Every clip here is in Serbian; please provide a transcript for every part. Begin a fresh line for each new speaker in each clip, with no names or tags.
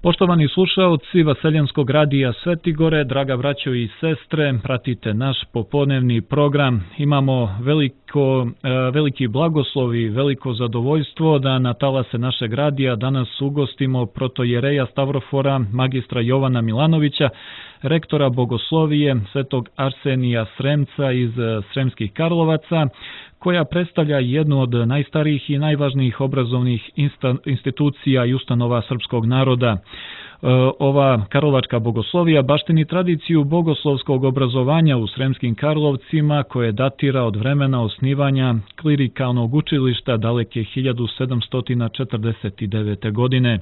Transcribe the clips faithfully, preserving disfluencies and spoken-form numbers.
Poštovani slušaoci Vaseljenskog radija Svetigore, draga braćo i sestre, pratite naš popodnevni program. Imamo veliko, veliki blagoslov i veliko zadovoljstvo da na talase našeg radija danas ugostimo protojereja Stavrofora, magistra Jovana Milanovića, rektora bogoslovije Svetog Arsenija Sremca iz Sremskih Karlovaca, koja predstavlja jednu od najstarijih i najvažnijih obrazovnih institucija i ustanova srpskog naroda. Ova karlovačka bogoslovija baštini tradiciju bogoslovskog obrazovanja u Sremskim Karlovcima, koje datira od vremena osnivanja klirikalnog učilišta daleke hiljadu sedamsto četrdeset devete. godine.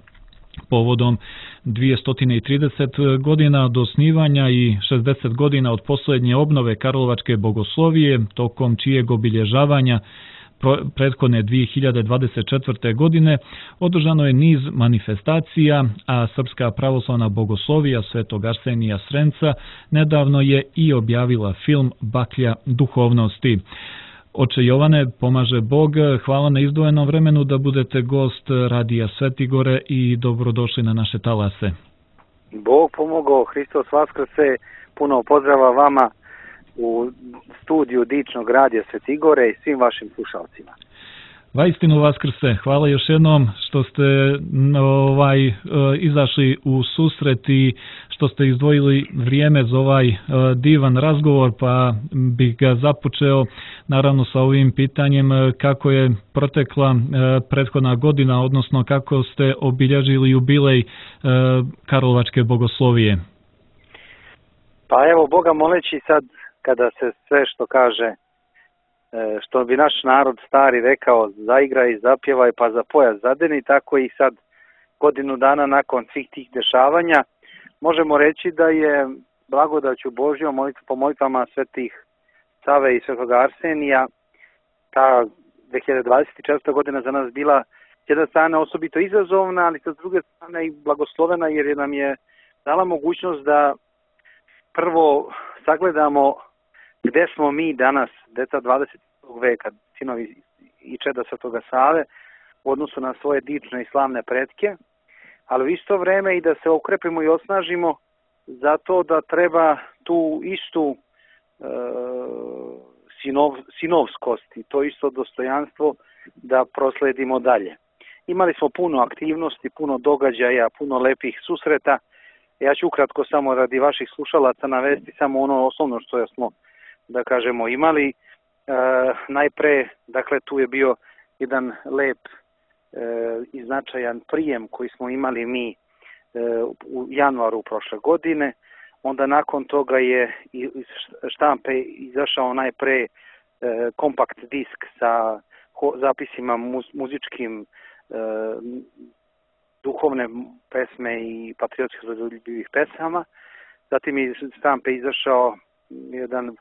Povodom dvjesto trideset godina od osnivanja i šezdeset godina od posljednje obnove karlovačke bogoslovije, tokom čijeg obilježavanja prethodne dvije hiljade dvadeset četvrte. godine održano je niz manifestacija, a Srpska pravoslavna bogoslovija Svetog Arsenija Sremca nedavno je i objavila film Baklja duhovnosti. Oče Jovane, pomaže Bog, hvala na izdvojenom vremenu da budete gost radija Svetigore i dobrodošli na naše talase.
Bog pomogao, Hristos vaskrse, puno pozdrava vama u studiju dičnog radija Svetigore i svim vašim slušalcima.
Vaistinu vaskrse, hvala još jednom što ste ovaj izašli u susret i što ste izdvojili vrijeme za ovaj divan razgovor, pa bih ga započeo naravno sa ovim pitanjem kako je protekla prethodna godina, odnosno kako ste obilježili jubilej Karlovačke bogoslovije.
Pa evo, Boga moleći sad kada se sve što kaže, što bi naš narod stari rekao, zaigraj i zapjevaj pa za pojas zadeni, tako i sad godinu dana nakon svih tih dešavanja možemo reći da je blagodaću Božjom po molitvama svetih Save i Svetog Arsenija ta dvije hiljade dvadeset četvrta. godina za nas bila s jedne strane osobito izazovna, ali sa druge strane i blagoslovena, jer nam je dala mogućnost da prvo sagledamo gde smo mi danas, deca dvadesetog veka, sinovi i čeda Svetoga Save, u odnosu na svoje dične i slavne pretke, ali u isto vreme i da se okrepimo i osnažimo zato da treba tu istu e, sinov, sinovskost i to isto dostojanstvo da prosledimo dalje. Imali smo puno aktivnosti, puno događaja, puno lepih susreta. Ja ću ukratko samo radi vaših slušalaca navesti samo ono osnovno što smo, da kažemo, imali. E, najpre, dakle, tu je bio jedan lep e, i značajan prijem koji smo imali mi e, u januaru prošle godine. Onda nakon toga je iz štampe izašao najpre e, kompakt disk sa ho, zapisima muz, muzičkim e, duhovne pesme i patriotskih zadovoljivih pesama. Zatim je iz štampe izašao jedan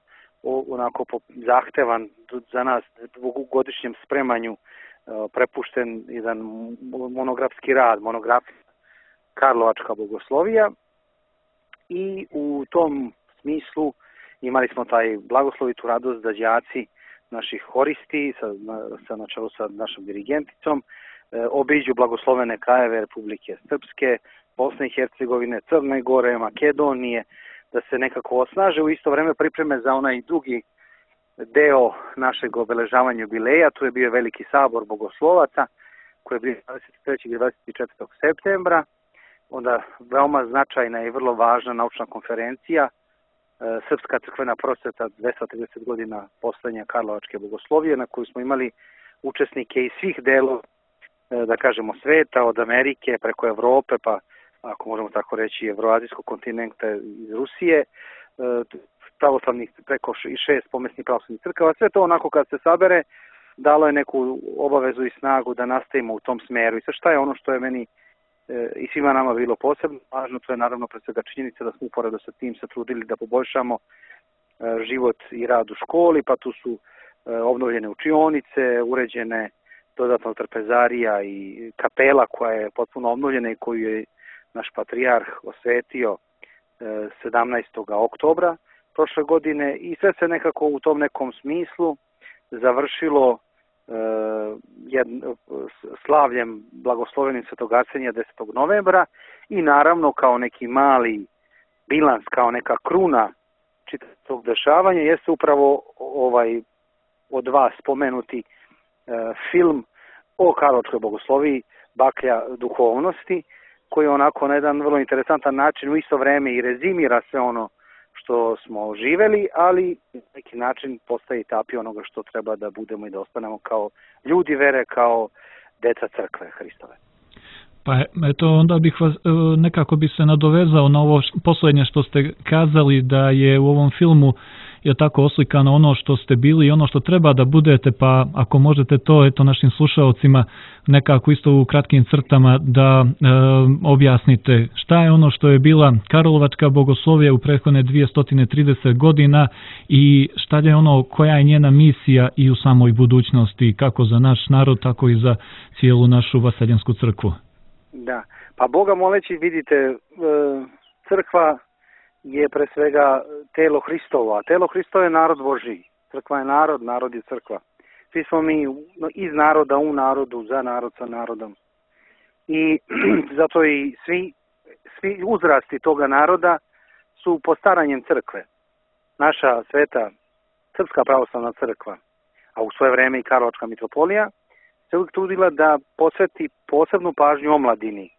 onako zahtevan za nas dvogodišnjem spremanju prepušten jedan monografski rad, monografija Karlovačka bogoslovija, i u tom smislu imali smo taj blagoslovitu radost da đaci naših horisti sa, na, sa na čelu sa našom dirigenticom obiđu blagoslovene krajeve Republike Srpske, Bosne i Hercegovine, Crne Gore, Makedonije, da se nekako osnaže, u isto vreme pripreme za onaj drugi deo našeg obeležavanja jubileja. Tu je bio veliki sabor bogoslovaca koji je bio dvadeset trećeg i dvadeset četvrtog septembra. Onda veoma značajna i vrlo važna naučna konferencija Srpska crkvena prosveta dvesta trideset godina postojanja Karlovačke bogoslovije, na koju smo imali učesnike iz svih delova, da kažemo, sveta, od Amerike preko Evrope, pa ako možemo tako reći evroazijskog kontinenta, iz Rusije, pravoslavnih preko i šest pomesnih pravoslavnih crkava. Sve to onako kad se sabere dalo je neku obavezu i snagu da nastavimo u tom smeru. I sad šta je ono što je meni e, i svima nama bilo posebno važno, to je naravno pre svega činjenica da smo uporedo sa tim se trudili da poboljšamo e, život i rad u školi, pa tu su e, obnovljene učionice, uređene dodatno trpezarija i kapela koja je potpuno obnovljena i koju je naš patrijarh osvetio sedamnaestog oktobra prošle godine, i sve se nekako u tom nekom smislu završilo jedno, slavljem blagoslovenim Svetog Arsenija desetog novembra i naravno kao neki mali bilans, kao neka kruna čitavog dešavanja jeste upravo ovaj od vas spomenuti e, film o Karlovačkoj bogosloviji Baklja duhovnosti, koji onako na jedan vrlo interesantan način u isto vreme i rezimira sve ono što smo živeli, ali na neki način postaje i tapi onoga što treba da budemo i da ostanemo kao ljudi vere, kao deca crkve Hristove.
Pa eto, onda bih vas, nekako bi se nadovezao na ovo posljednje što ste kazali, da je u ovom filmu je tako oslikano ono što ste bili i ono što treba da budete, pa ako možete to eto našim slušaocima nekako isto u kratkim crtama da e, objasnite šta je ono što je bila Karlovačka bogoslovija u prethodne dvjesto trideset godina i šta je ono, koja je njena misija i u samoj budućnosti, kako za naš narod, tako i za cijelu našu vaseljansku crkvu.
Da, pa Boga moleći, vidite, crkva je pre svega telo Hristovo, a telo Hristovo je narod Božiji. Crkva je narod, narod je crkva. Svi smo mi iz naroda, u narodu, za narod, sa narodom. I zato i svi, svi uzrasti toga naroda su postaranjem crkve. Naša sveta Srpska pravoslavna crkva, a u svoje vreme i Karlovačka mitropolija, se uvijek trudila da posveti posebnu pažnju omladini.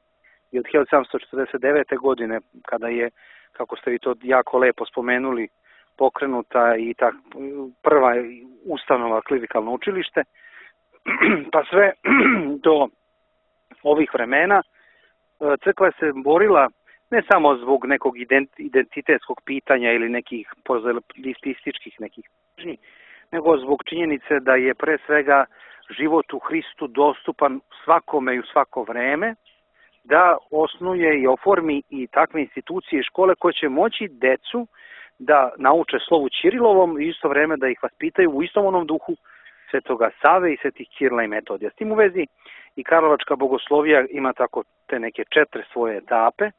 I od hiljadu sedamsto četrdeset devete. godine, kada je, kako ste vi to jako lepo spomenuli, pokrenuta i ta prva ustanova klerikalno učilište, pa sve do ovih vremena crkva se borila ne samo zbog nekog identitetskog pitanja ili nekih pozalističkih nekih pitanja, nego zbog činjenice da je pre svega život u Hristu dostupan svakome i u svako vreme, da osnuje i oformi i takve institucije i škole koje će moći decu da nauče slovu Ćirilovom i isto vreme da ih vaspitaju u istom onom duhu Svetoga Save i Svetih Ćirila i Metodija. S tim u vezi i Karlovačka bogoslovija ima tako te neke četiri svoje etape.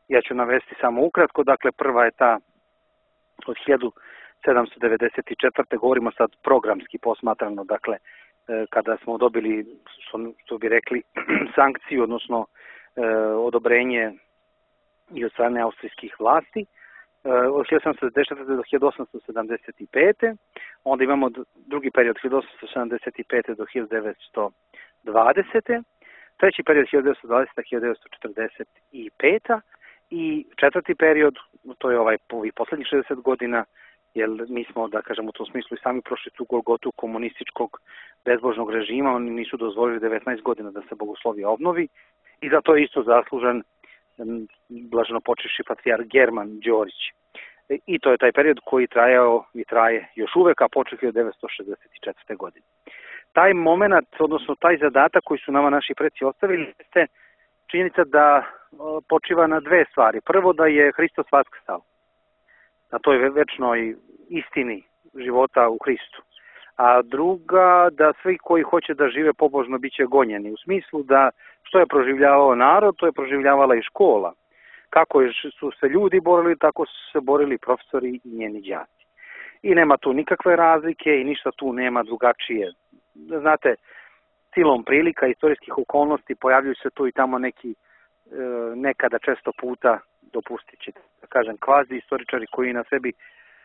Ja ću navesti samo ukratko. Dakle, prva je ta od hiljadu sedamsto devedeset četvrte. govorimo sad programski posmatrano, dakle, kada smo dobili, što bi rekli, sankciju, odnosno e, odobrenje i od strane austrijskih vlasti, e, od hiljadu sedamsto sedamdeset četvrte. do hiljadu osamsto sedamdeset pete. Onda imamo drugi period hiljadu osamsto sedamdeset pete. do hiljadu devetsto dvadesete. Treći period hiljadu devetsto dvadesete. do hiljadu devetsto četrdeset pete. I četvrti period, to je ovaj ovih poslednjih šezdeset godina, jer mi smo, da kažem, u tom smislu i sami prošli tu golgotu komunističkog bezbožnog režima, oni nisu dozvolili devetnaest godina da se bogoslovija obnovi i za to je isto zaslužan blaženo počivši patrijarh German Đorić. I to je taj period koji trajao i traje još uvek, a počeo hiljadu devetsto šezdeset četvrte. godine. Taj moment, odnosno taj zadatak koji su nama naši preci ostavili, jeste činjenica da počiva na dve stvari. Prvo, da je Hristos vaskrsao, na toj večnoj istini života u Hristu. A druga, da svi koji hoće da žive pobožno bit će gonjeni. U smislu da što je proživljavao narod, to je proživljavala i škola. Kako su se ljudi borili, tako su se borili profesori i njeni đaci. I nema tu nikakve razlike i ništa tu nema drugačije. Znate, silom prilika, istorijskih okolnosti, pojavljuju se tu i tamo neki nekada često puta, dopustit ćete da kažem, kvazi istoričari koji na sebi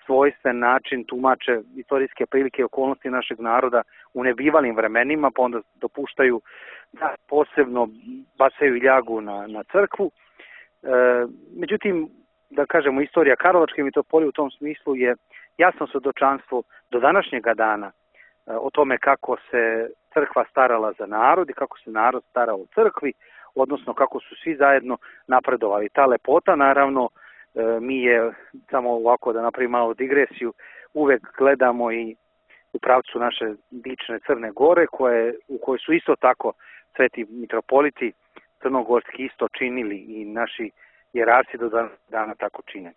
svojstven način tumače istorijske prilike i okolnosti našeg naroda u nebivalim vremenima, pa onda dopuštaju da posebno bacaju ljagu na, na crkvu. E, međutim, da kažemo, istorija Karlovačke mitropolije u tom smislu je jasno svedočanstvo do današnjega dana e, o tome kako se crkva starala za narod i kako se narod starao o crkvi, odnosno kako su svi zajedno napredovali. Ta lepota, naravno, mi je, samo ovako da napravim malo digresiju, uvek gledamo i u pravcu naše dične Crne Gore, koje, u kojoj su isto tako sveti mitropoliti crnogorski isto činili i naši jerarci do dana tako čine.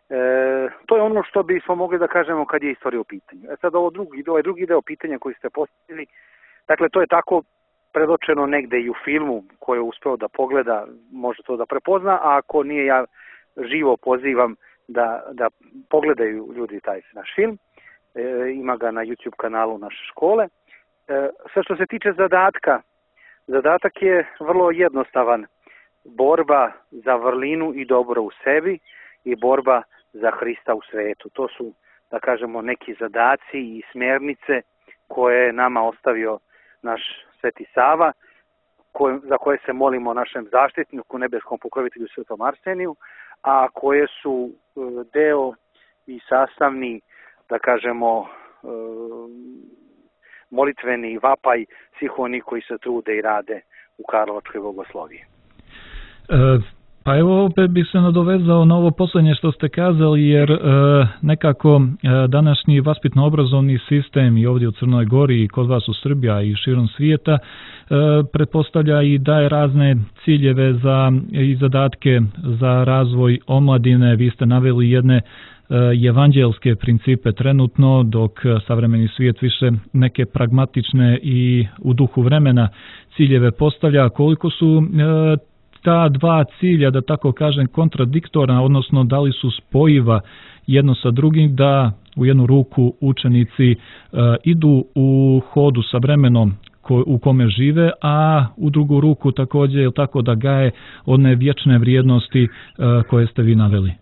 E, to je ono što bismo mogli da kažemo kad je istorija u pitanju. E sad ovo drugi, ovaj drugi deo pitanja koji ste postavili, dakle to je tako predočeno negde i u filmu koji je uspeo da pogleda, može to da prepozna, a ako nije, ja živo pozivam da, da pogledaju ljudi taj naš film. E, ima ga na YouTube kanalu naše škole Sve što se tiče zadatka, zadatak je vrlo jednostavan. Borba za vrlinu i dobro u sebi i borba za Hrista u svetu. To su, da kažemo, neki zadaci i smjernice koje je nama ostavio naš Sveti Sava, koje, za koje se molimo našem zaštitniku, nebeskom pokrovitelju Svetom Arseniju, a koje su deo i sastavni, da kažemo, molitveni vapaj svih onih koji se trude i rade u Karlovačkoj bogosloviji.
E, pa evo opet bih se nadovezao na ovo posljednje što ste kazali, jer e, nekako e, današnji vaspitno-obrazovni sistem i ovdje u Crnoj Gori i kod vas u Srbiji i širom svijeta e, pretpostavlja i daje razne ciljeve za, i zadatke za razvoj omladine. Vi ste naveli jedne evanđelske principe trenutno, dok savremeni svijet više neke pragmatične i u duhu vremena ciljeve postavlja. Koliko su ta dva cilja, da tako kažem, kontradiktorna, odnosno da li su spojiva jedno sa drugim, da u jednu ruku učenici idu u hodu sa vremenom u kome žive, a u drugu ruku također je tako da gaje one vječne vrijednosti koje ste vi naveli?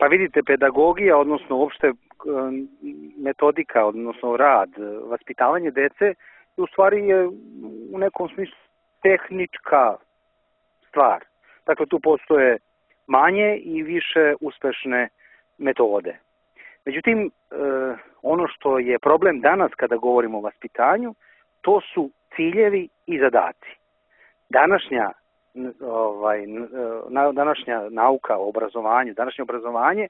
Pa vidite, pedagogija, odnosno uopšte metodika, odnosno rad, vaspitavanje dece, u stvari je u nekom smislu tehnička stvar. Dakle, tu postoje manje i više uspešne metode. Međutim, ono što je problem danas kada govorimo o vaspitanju, to su ciljevi i zadaci. Današnja Ovaj, današnja nauka o obrazovanju, današnje obrazovanje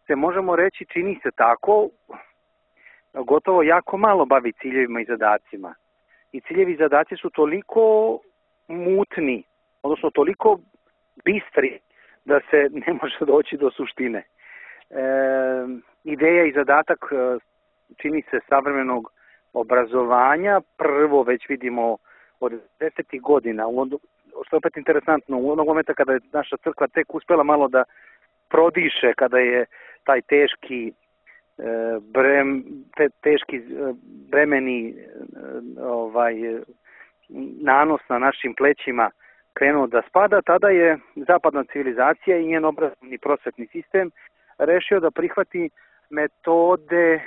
se, možemo reći, čini se tako, gotovo jako malo bavi ciljevima i zadacima. I ciljevi i zadaci su toliko mutni, odnosno toliko bistri da se ne može doći do suštine. E, ideja i zadatak, čini se, savremenog obrazovanja, prvo već vidimo od desetih godina, što je opet interesantno, u onog momenta kada je naša crkva tek uspela malo da prodiše, kada je taj teški brem, te, teški bremeni ovaj, nanos na našim plećima krenuo da spada, tada je zapadna civilizacija i njen obrazovni prosvetni sistem rešio da prihvati metode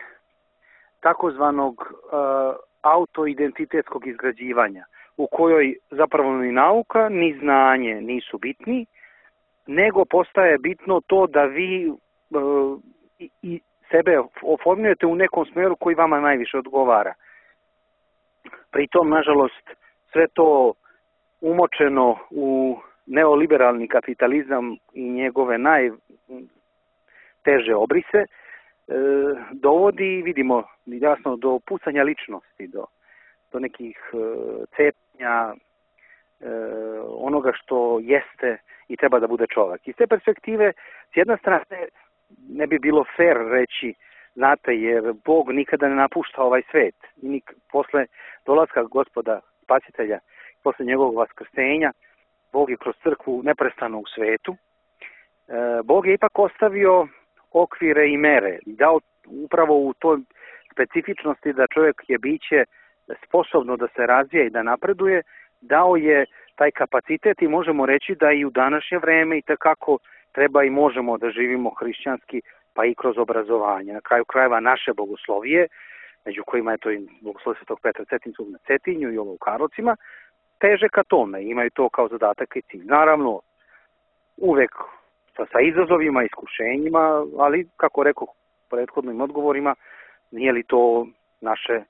takozvanog uh, autoidentitetskog izgrađivanja, u kojoj zapravo ni nauka, ni znanje nisu bitni, nego postaje bitno to da vi uh, i, i sebe oformljujete u nekom smeru koji vama najviše odgovara. Pritom, nažalost, sve to umočeno u neoliberalni kapitalizam i njegove najteže obrise, e, dovodi, vidimo, jasno, do pucanja ličnosti, do, do nekih e, cepnja e, onoga što jeste i treba da bude čovjek. Iz te perspektive, s jedne strane, ne bi bilo fair reći, znate, jer Bog nikada ne napušta ovaj svet. I nik, posle dolaska Gospoda Spasitelja, posle njegovog vaskrsenja, Bog je kroz crkvu neprestano u svetu. E, Bog je ipak ostavio okvire i mere i dao upravo u toj specifičnosti da čovjek je biće sposobno da se razvija i da napreduje, dao je taj kapacitet i možemo reći da i u današnje vreme i takako treba i možemo da živimo hrišćanski, pa i kroz obrazovanje. Na kraju krajeva naše bogoslovije, među kojima je to i bogoslovije Svetog Petra Cetinskog na Cetinju i ovo u Karlovcima, teže ka tome, imaju to kao zadatak i cilj. Naravno, uvek sa, sa izazovima, iskušenjima, ali, kako rekao prethodnim odgovorima, nije li to naše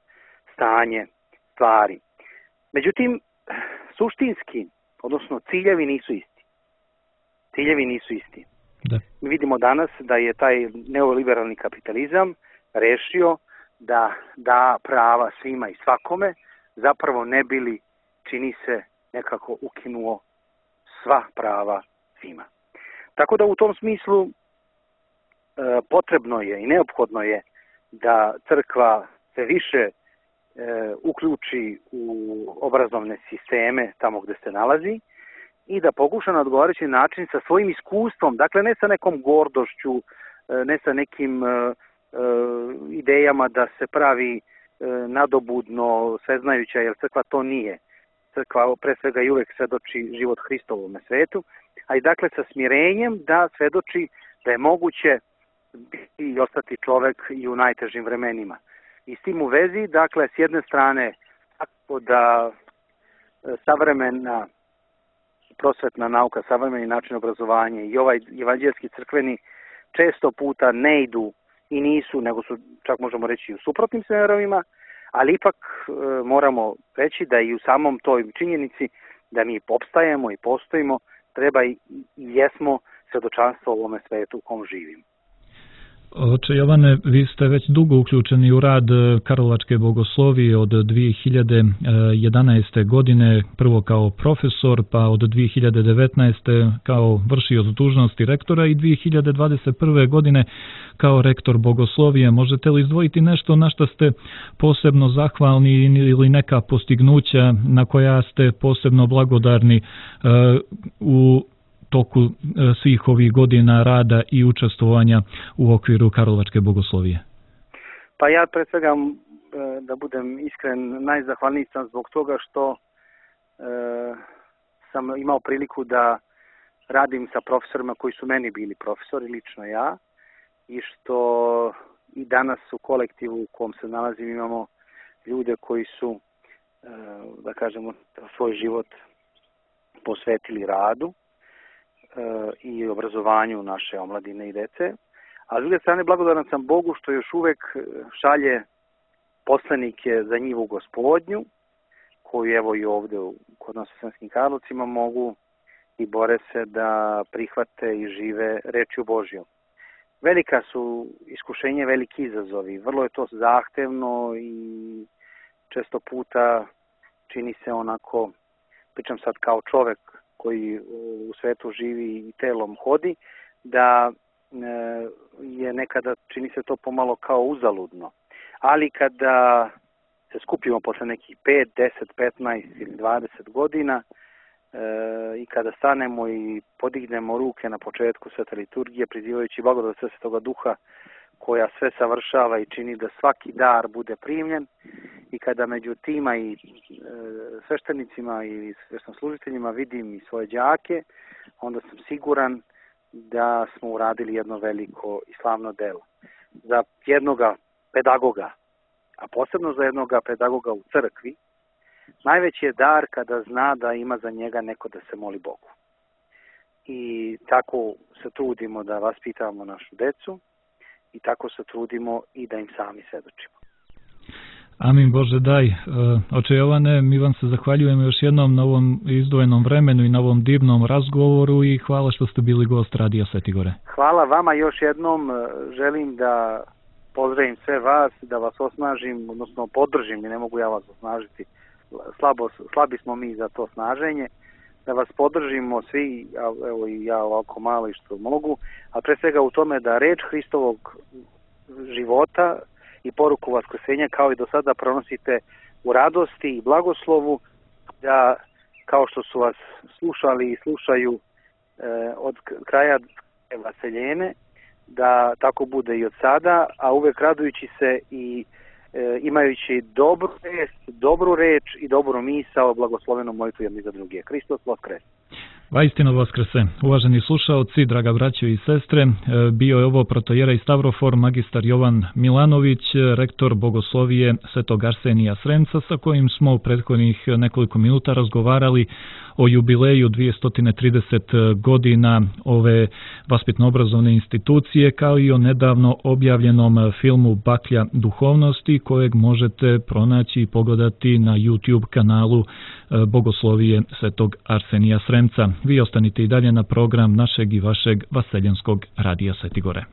stanje stvari. Međutim, suštinski, odnosno ciljevi nisu isti. Ciljevi nisu isti. Da. Mi vidimo danas da je taj neoliberalni kapitalizam rešio da da prava svima i svakome, zapravo ne bili, čini se, nekako ukinuo sva prava svima. Tako da u tom smislu e, potrebno je i neophodno je da crkva se više e, uključi u obrazovne sisteme tamo gde se nalazi i da pokuša na odgovarajući način sa svojim iskustvom, dakle ne sa nekom gordošću, ne sa nekim e, e, idejama da se pravi nadobudno, sveznajuća, jer crkva to nije. Crkva pre svega i uvek svedoči život Hristov u ovome svetu, a i dakle sa smirenjem da svedoči da je moguće biti i ostati čovek i u najtežim vremenima. I s tim u vezi, dakle, s jedne strane, tako da savremena prosvetna nauka, savremeni način obrazovanja i ovaj evanđelski crkveni često puta ne idu i nisu, nego su, čak možemo reći, u suprotnim smerovima, ali ipak e, moramo reći da i u samom toj činjenici da mi opstajemo i postojimo, treba i, i jesmo svedočanstvo u ovome svetu u kom živimo.
Oče Jovane, vi ste već dugo uključeni u rad Karlovačke bogoslovije od dvije hiljade jedanaeste. godine, prvo kao profesor, pa od dvije hiljade devetnaeste. kao vršioc dužnosti rektora i dvije hiljade dvadeset prve. godine kao rektor bogoslovije. Možete li izdvojiti nešto na što ste posebno zahvalni ili neka postignuća na koja ste posebno blagodarni u toku svih ovih godina rada i učestvovanja u okviru Karlovačke bogoslovije?
Pa ja pre svega, da budem iskren, najzahvalniji sam zbog toga što e, sam imao priliku da radim sa profesorima koji su meni bili profesori, lično ja, i što i danas u kolektivu u kom se nalazim imamo ljude koji su, e, da kažemo, svoj život posvetili radu i obrazovanju naše omladine i dece, a s druge strane blagodaran sam Bogu što još uvek šalje poslanike za njivu Gospodnju, koju evo i ovde kod nas u Sremskim Karlovcima mogu i bore se da prihvate i žive rečju Božjom. Velika su iskušenja, veliki izazovi, vrlo je to zahtevno i često puta čini se onako, pričam sad kao čovek koji u svetu živi i telom hodi, da je nekada, čini se to pomalo kao uzaludno. Ali kada se skupimo posle nekih pet, deset, petnaest ili dvadeset godina i kada stanemo i podignemo ruke na početku svete liturgije, prizivajući blagodat Svetoga Duha koja sve savršava i čini da svaki dar bude primljen, i kada među tima i e, sveštenicima i sveštenslužiteljima vidim i svoje đake, onda sam siguran da smo uradili jedno veliko i slavno delo. Za jednoga pedagoga, a posebno za jednoga pedagoga u crkvi, najveći je dar kada zna da ima za njega neko da se moli Bogu. I tako se trudimo da vaspitavamo našu decu i tako se trudimo i da im sami svedočimo.
Amin Bože daj. Oče Jovane, mi vam se zahvaljujemo još jednom na ovom izdvojenom vremenu i na ovom divnom razgovoru i hvala što ste bili gost Radija Sveti Gore.
Hvala vama još jednom. Želim da pozdravim sve vas, da vas osnažim, odnosno podržim, i ne mogu ja vas osnažiti. Slabo, slabi smo mi za to snaženje. Da vas podržimo svi, evo i ja ovako malo i što mogu, a pre svega u tome da reč Hristovog života i poruku vaskrsenja kao i do sada pronosite u radosti i blagoslovu, da kao što su vas slušali i slušaju e, od kraja vaseljene, da tako bude i od sada, a uvek radujući se i e, imajući dobru vest, dobru reč i dobru misao, blagoslovenu molitvu jedni za druge. Hristos Voskres!
Vaistinu Vaskrse. Uvaženi slušaoci, draga braćo i sestre, bio je ovo protojerej Stavrofor magistar Jovan Milanović, rektor bogoslovije Svetog Arsenija Sremca, sa kojim smo u prethodnih nekoliko minuta razgovarali o jubileju dvjesto trideset godina ove vaspitno-obrazovne institucije, kao i o nedavno objavljenom filmu Baklja duhovnosti, kojeg možete pronaći i pogledati na YouTube kanalu Bogoslovije Svetog Arsenija Sremca. Vi ostanite i dalje na program našeg i vašeg vaseljenskog Radija Sveti Gore.